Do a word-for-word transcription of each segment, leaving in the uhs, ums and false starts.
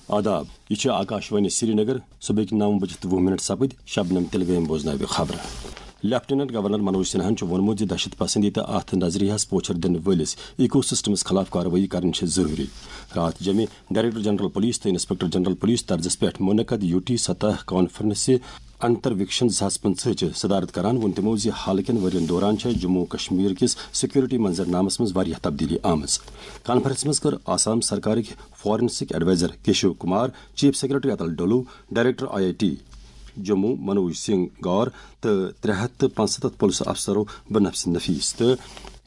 آداب، یہِ چھِ آکاشوانی سرینگر۔ صبحٕکۍ نَو بجہِ تہٕ وُہ منٹ سپٕدۍ، شبنم تلگٲمۍ بوزناوِ خبرٕ۔ لیفٹیننٹ گورنر منوج سنہاہن چھُ ووٚنمُت زِ دہشت پسندی تہٕ اتھ نظریہس پوچھر دِنہٕ وٲلِس ایکو سسٹمس خلاف کاروٲیی کرٕنۍ چھِ ضروٗری۔ راتھ جمہِ ڈائریکٹر جنرل پولیس تہٕ انسپکٹر جنرل پولیس طرزس پٮ۪ٹھ منعقد یو ٹی سطح کانفرنسہِ انترویکشن زٕ ساس پٕنٛژٕہ چہِ صدارت کران ووٚن تِمو زِ حال کٮ۪ن ؤرین دوران چھےٚ جموں و کشمیر کِس سیکورٹی منظرنامس منٛز واریاہ تبدیلی آمٕژ۔ کانفرنسہِ منٛز کٔر آسام سرکارٕکۍ forensic adviser Keshav Kumar, chief secretary Atul Dulloo, director I I T Jammu Manoj Singh Gaur تہٕ ترٛےٚ ہتھ تہٕ پانٛژستتھ پُلسہٕ افسرو بنفس نفیس تہٕ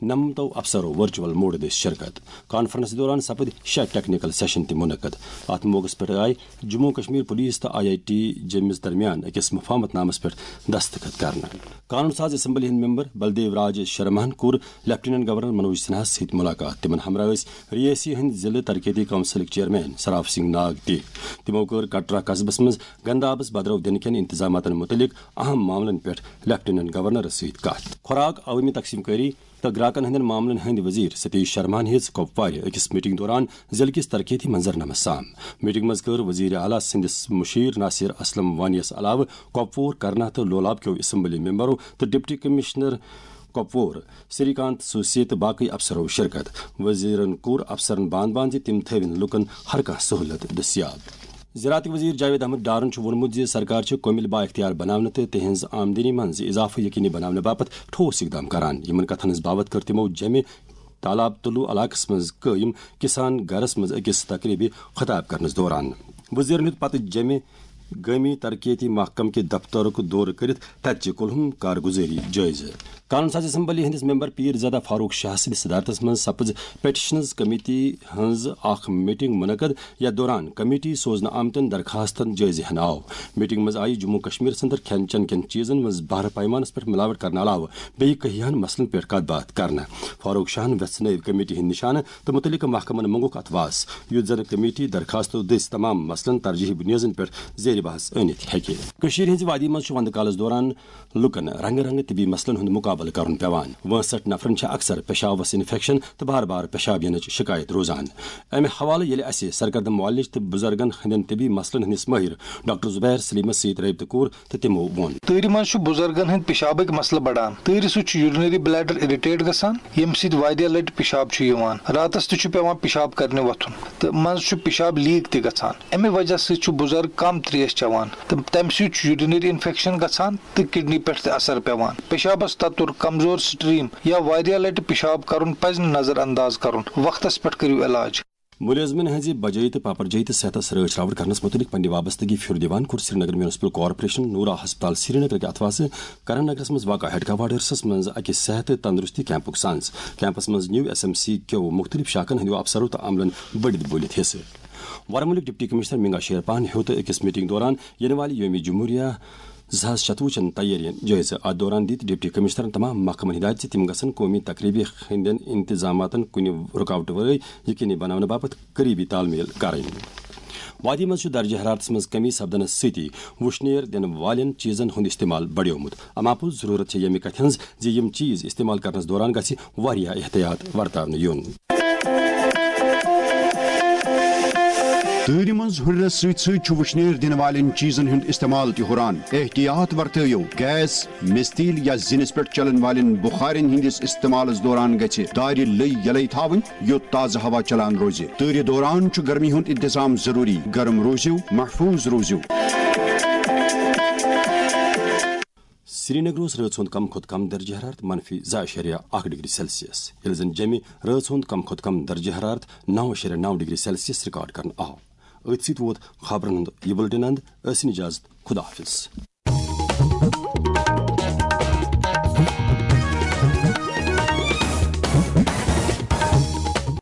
نمتو افسرو ورچوئل موڈ دٔسۍ شرکت۔ کانفرنس دوران سپٕدۍ شےٚ ٹیکنیکل سیشن تہِ منعقد۔ اتھ موقعس پٮ۪ٹھ آیہِ جموں و کشمیر پولیس تہٕ آئی آئی ٹی جیمِس درمیان أکِس مفاہمت نامس پٮ۪ٹھ دستخط کرنہٕ۔ قانون ساز اسمبلی ہٕنٛدۍ ممبر بلدیو راج شرماہن کوٚر لیفٹیننٹ گورنر منوج سنہاہس سۭتۍ ملاقات۔ تِمن ہمراہ ٲسۍ ریاسی ہٕنٛدۍ ضلعہٕ ترقیتی کونسلٕکۍ چیئرمین سراف سنگھ ناگ تہِ۔ تِمو کٔر کٹرا قصبس منٛز گندابس بدرو دِنہٕ کٮ۪ن انتظاماتن متعلق اہم معاملن پٮ۪ٹھ لیفٹیننٹ گورنرس سۭتۍ کتھ۔ خوراک، عوٲمی تقسیم کٲری تہٕ گراکن ہٕنٛدٮ۪ن معاملن ہٕنٛدۍ وزیر ستیش شرماہن ہیٚژ کۄپوارِ أکِس میٹنگ دوران ضلعہٕ کِس ترقیتی منظرنامس سام۔ میٹنگ منٛز کٔر وزیر اعلیٰ سٕنٛدِس مشیر ناصر اسلم وانی یس علاوٕ کۄپوور، کرنا تہٕ لولاب کیو اسمبلی ممبرو تہٕ ڈپٹی کمشنر کۄپوور سری کانت سوسے تہٕ باقٕے افسرو شرکت۔ وزیرن کوٚر افسرن بان بان زِ تِم تھٲوِن لوٗکن ہر کانٛہہ سہولت دٔستیاب۔ زراعتٕکۍ وزیر جاوید احمد ڈارن چھُ ووٚنمُت زِ سرکار چھِ کۄمِل بااختیار بناونہٕ تہٕ تِہنٛز آمدنی منٛز اضافہٕ یقینی بناونہٕ باپتھ ٹھوس اقدام کران۔ یِمن کتھن ہٕنٛز باوتھ کٔر تِمو جمہِ تالاب طلوع علاقس منٛز قٲیِم کسان گرس منٛز أکِس تقریبہِ خطاب کرنس دوران۔ وزیرن ہیوٚت پتہٕ جمہِ گٲمی ترقیتی محکمہٕ کہِ دفترُک دورٕ کٔرِتھ تتہِ چہِ کُلہُم کارگُزٲری جٲیزٕ۔ قانون ساز اسمبلی ہٕنٛدِس ممبر پیٖر زادہ فاروق شاہ سٕنٛدِ صدارتس منٛز سپٕز پیٹیشنز کمیٹی ہٕنٛز اکھ میٹنگ منعقد، یتھ دوران کمیٹی سوزنہٕ آمتٮ۪ن درخواستن جٲیزٕ ہٮ۪نہٕ آو۔ میٹنگ منٛز آیہِ جموں و کشمیر اندر کھٮ۪ن چٮ۪ن کٮ۪ن چیٖزن منٛز بہرٕ پیمانس پٮ۪ٹھ ملاوٹ کرنہٕ علاوٕ بیٚیہِ کینٛہَن مسلن پٮ۪ٹھ کتھ باتھ کرنہٕ۔ فاروق شاہن ویژھنٲوۍ کمیٹی ہٕنٛدۍ نشانہٕ تہٕ متعلقہٕ محکمن منٛگُکھ اتھ واس، یُتھ زن کمیٹی درخواستو دٔسۍ تمام مسلن ترجیحی بنیادن پٮ۪ٹھ زیر بحث أنِتھ ہیٚکہِ۔ کٔشیٖرِ ہٕنٛزِ وادی منٛز چھُ وندٕ کالس دوران لوٗکن رنگہٕ رنگہٕ طبی مسلن ہُنٛد مقابلہٕ کرُن پٮ۪وان۔ وٲنٛسٹھ نفرن چھےٚ اکثر پیشابس انفیکشن تہٕ بار بار پیشاب یِنٕچ شکایت روزان۔ امہِ حوالہٕ ییٚلہِ اسہِ سرگردم معالج تہٕ بُزرگن ہٕنٛدٮ۪ن طبی مسلن ہٕنٛدِس مٲہِر ڈاکٹر زبیر سلیمس سۭتۍ رٲبطہٕ کوٚر تہٕ تِمو ووٚن۔ تۭرِ منٛز چھُ بُزرگن ہٕنٛدۍ پیشابٕکۍ مسلہٕ بڑان۔ تۭرِ سۭتۍ چھُ یورینری بلیڈر اریٹیٹ گژھان، ییٚمہِ سۭتۍ واریاہ لٹہِ پیشاب چھُ یِوان۔ راتس تہِ چھُ پٮ۪وان پیشاب کرنہِ وۄتھُن تہٕ منٛزٕ چھُ پیشاب لیک تہِ گژھان۔ امہِ وجہ سۭتۍ چھُ بُزرگ کم تریش چٮ۪وان تہٕ تمہِ سۭتۍ چھُ یورینری انفیکشن گژھان تہٕ کڈنی پٮ۪ٹھ تہِ اثر پٮ۪وان۔ پیشابس تتُر، کمزور سٹریم یا واریاہ لٹہِ پیشاب کرُن پزِ نہٕ نظر انداز کرُن۔ وقتس پٮ۪ٹھ کٔرِو علاج۔ مُلٲزمن ہٕنٛزِ بجٲیی تہٕ پاپرجٲیی تہٕ صحتس رٲچھ راوٹھ کرنس مُتعلق پننہِ وابستگی پھِر دِوان کوٚر سرینگر میونسپل کارپوریشن نورا ہسپتال سرینگرٕکہِ اتھواسہٕ کرن نگرس منٛز واقع ہیڈ کوارٹرسس منٛز اکہِ صحت تہٕ تندرستی کیمپُک سنز۔ کیمپس منٛز نیو ایس ایم سی کیو مُختٔلِف شاخن ہٕنٛدیو افسرو تہٕ عملن بٔڑِتھ بٔلِتھ حصہٕ۔ ورمُلٕکۍ ڈپٹی کمشنر منگا شیر پہن ہیوٚت أکِس میٹنگ دوران یِنہٕ والہِ یومِ جمہوریہ زٕ ساس شتوُہ چٮ۪ن تیٲرین جٲیزٕ۔ اتھ دوران دِتۍ ڈپٹی کمشنرن تمام محکمن ہدایت زِ تِم گژھن قومی تقریبہِ ہٕنٛدٮ۪ن انتظاماتن کُنہِ رُکاوٹہٕ ورٲے یقینی بناونہٕ باپتھ قریبی تال میل کرٕنۍ۔ وادی منٛز چھُ درجہ حرارتس منٛز کمی سپدنس سۭتی وُشنیر دِنہٕ والٮ۪ن چیزن ہُنٛد استعمال بڑیومُت۔ اما پوٚز ضرورت چھےٚ ییٚمہِ کتھِ ہٕنٛز زِ یِم چیز استعمال کرنس دوران گژھِ واریاہ احتیاط ورتاونہٕ یُن۔ تۭرِ منٛز ہُرنس سۭتۍ سۭتۍ چھُ وُشنیر دِنہٕ والٮ۪ن چیزن ہُنٛد استعمال تہِ ہُران۔ احتیاط ورتٲیِو۔ گیس، مِستیٖل یا زِنِس پٮ۪ٹھ چلن والٮ۪ن بُخارٮ۪ن ہٕنٛدِس استعمالس دوران گژھِ دارِ لٔے یلے تھاوٕنۍ، یوٚت تازٕ ہوا چلان روزِ۔ تۭرِ دوران چھُ گرمی ہُنٛد انتظام ضروٗری۔ گرم روٗزِو، محفوٗظ روٗزِو۔ سرینگر اوس رٲژ ہُنٛد کم کھۄتہٕ کم درجہ حرارت منفی زٕ اعشاریہ اکھ ڈگری سیلسیس، ییٚلہِ زن جیٚمہِ رٲژ ہُنٛد کم کھۄتہٕ کم درجہ حرارت نو اعشاریہ نو ڈگری سیلسیس ریکارڈ کرنہٕ آو۔ أتھۍ سۭتۍ ووت خبرن ہُنٛد یہِ بُلٹن اند۔ أسۍ نِجازت، خدا حافظ۔